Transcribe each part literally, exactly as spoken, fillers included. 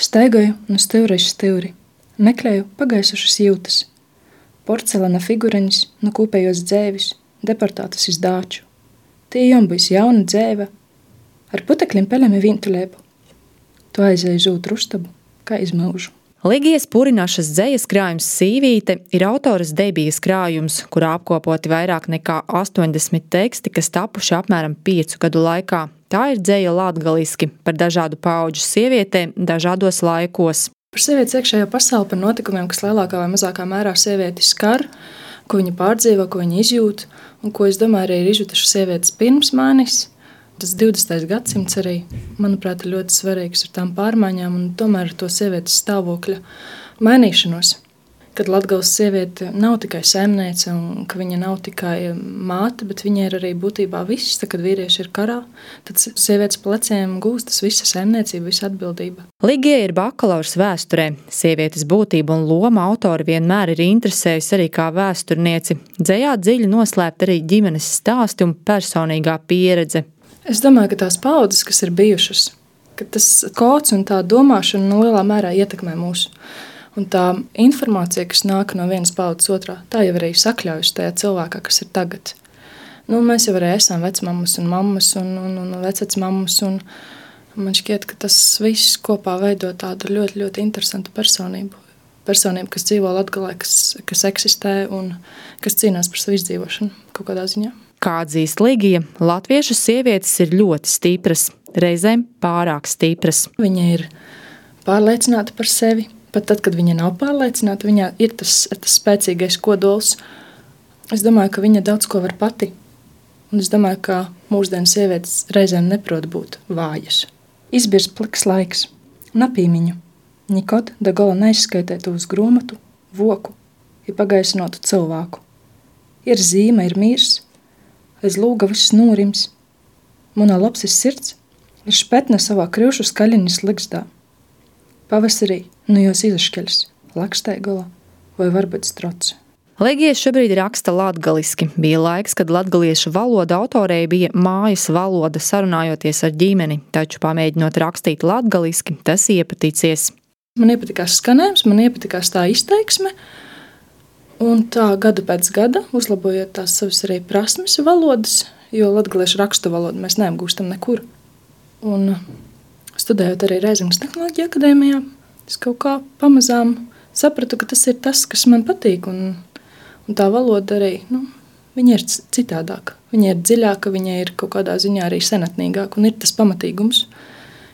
Staigāju no stūra uz stūri, meklēju pagaisušas jūtas, porcelāna figureņus no kopējos dzēvis, deportātas iz Dāču. Tie jom būs jauna dzēve, ar putekļiem peļami vīntulēbu. Tu aizēji uz otru ustabu, kā iz mūžu. Ligijas Purinašas dzejas krājums Sīvīte ir autoras debijas krājums, kurā apkopoti vairāk nekā astoņdesmit teksti, kas tapuši apmēram piecu gadu laikā. Tā ir dzeja latgaliski par dažādu paudžu sievietēm dažādos laikos. Par sievietes iekšējo pasauli, par notikumiem, kas lielākā vai mazākā mērā sievieti skar, ko viņa pārdzīvo, ko viņa izjūt, un ko, es domāju, arī ir izjutušas sievietes pirms manis. Tas divdesmitais gadsimts arī, manuprāt, ir ļoti svarīgs ar tām pārmaiņām un tomēr ar to sievietes stāvokļa mainīšanos. Kad Latgales sieviete nav tikai saimniece un ka viņa nav tikai māte, bet viņa ir arī būtībā viss. Tad, kad vīrieši ir karā, tad sievietes pleciem gūstas visa saimniecība, visa atbildība. Ligija ir bakalaurs vēsturē. Sievietes būtība un loma autori vienmēr ir interesējusi arī kā vēsturnieci. Dzejā dziļi noslēpt arī ģimenes stāsti un personīgā pieredze. Es domāju, ka tās paudzes, kas ir bijušas, ka tas kods un tā domāšana no lielā mērā ietekmē mūsu. Un tā informācija, kas nāk no vienas paudzes otrā, tā jau arī sakļaujas tajā cilvēkā, kas ir tagad. Nu, mēs jau arī esam vecmammas un mammas un, un, un vecvecmammas, un man šķiet, ka tas viss kopā veido tādu ļoti, ļoti interesantu personību. Personību, kas dzīvo Latgalē, kas, kas eksistē un kas cīnās par savu izdzīvošanu kaut kādā ziņā. Kā atzīst Ligija, latviešu sievietes ir ļoti stipras, reizēm pārāk stipras. Viņa ir pārliecināta par sevi. Pat tad, kad viņa nav pārliecināta, viņā ir tas, tas spēcīgais kodols. Es domāju, ka viņa daudz ko var pati. Un es domāju, ka mūsdienu sievietes reizēm neprot būt vājas. Izbirs pliks laiks, napīmiņu. Nikod da gola neizskaitētu uz gromatu, voku, ir pagaisinotu cilvēku. Ir zīme, ir mīrs, aiz lūga viss nūrims. Munā lapsis sirds ir špetne savā krivšu skaļiņas ligzdā. Pavasarī nu jūs izaškeļas, laksteigola vai varbūt strots. Ligija šobrīd raksta latgaliski. Bija laiks, kad latgaliešu valoda autorei bija mājas valoda sarunājoties ar ģimeni, taču pamēģinot rakstīt latgaliski, tas iepaticies. Man iepatikās skanējums, man iepatikās tā izteiksme, un tā gada pēc gada, uzlabojot tās savas arī prasmes valodas, jo latgaliešu rakstu valodu mēs neapgūstam nekur. Un studējot arī Reizemes Tehnoloģiju akadēmijā, es kaut kā pamazām sapratu, ka tas ir tas, kas man patīk, un, un tā valoda arī, nu, viņa ir citādāka. Viņa ir dziļāka, viņa ir kaut kādā ziņā arī senatnīgāka, un ir tas pamatīgums,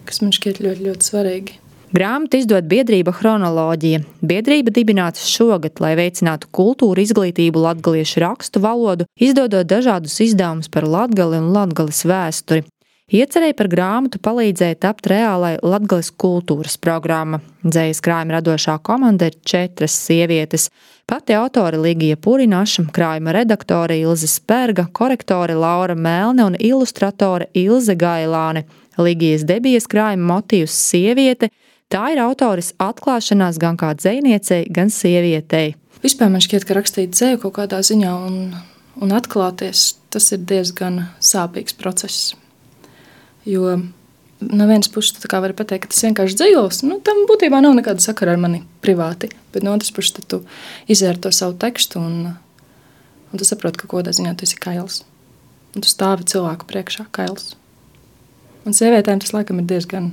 kas man šķiet ļoti, ļoti svarīgi. Grāmatu izdod biedrība Chronoloģija. Biedrība dibināta šogad, lai veicinātu kultūru izglītību latgaliešu rakstu valodu, izdodot dažādus izdevumus par Latgali un Latgales vēsturi. Iecerēja par grāmatu palīdzēja tapt reālai Latgales kultūras programma. Dzejas krājuma radošā komanda ir četras sievietes. Pati autore Ligija Purinaša, krājuma redaktore Ilze Sperga, korektore Laura Melne un ilustratore Ilze Gailāne. Ligijas debijas krājuma motīvs sieviete, tā ir autores atklāšanās gan kā dzejniecei, gan sievietei. Vispār man šķiet, ka rakstīt dzeju kaut kādā ziņā un, un atklāties, tas ir diezgan sāpīgs process. Jo no vienas puses tu tā kā vari pateikt, ka tas vienkārši dzejos, nu, tam būtībā nav nekāda sakara ar mani privāti, bet no otras puses tu izēri to savu tekstu un, un tu saproti, ka kodā ziņā tu esi kails. Un tu stāvi cilvēku priekšā kails. Un sievietēm tas laikam ir diezgan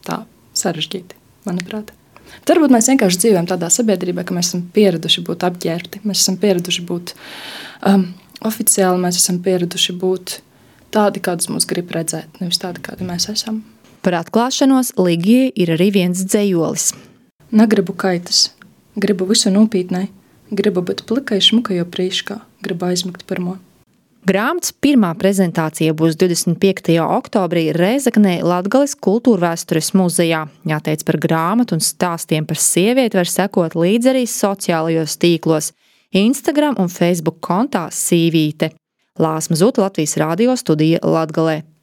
tā sarežģīti, manuprāt. Bet varbūt mēs vienkārši dzīvojam tādā sabiedrībā, ka mēs esam pieraduši būt apģērbti, mēs esam pieraduši būt um, oficiāli, mēs esam pieraduši būt tādi, kādus mūs grib redzēt, nevis tādi, kādi mēs esam. Par atklāšanos Ligijai ir arī viens dzejolis. Negribu kaitas, gribu visu nopītnē, gribu būt plikai šmukajo prīškā, gribu aizmigt pirmo. Grāmatas pirmā prezentācija būs divdesmit piektajā oktobrī Rēzeknē Latgales kultūrvēstures muzejā. Jāteic par grāmatu un stāstiem par sievieti var sekot līdz arī sociālajos tīklos, Instagram un Facebook kontā Sīvīte. Lāsma Zuta, Latvijas radio studija Latgalē.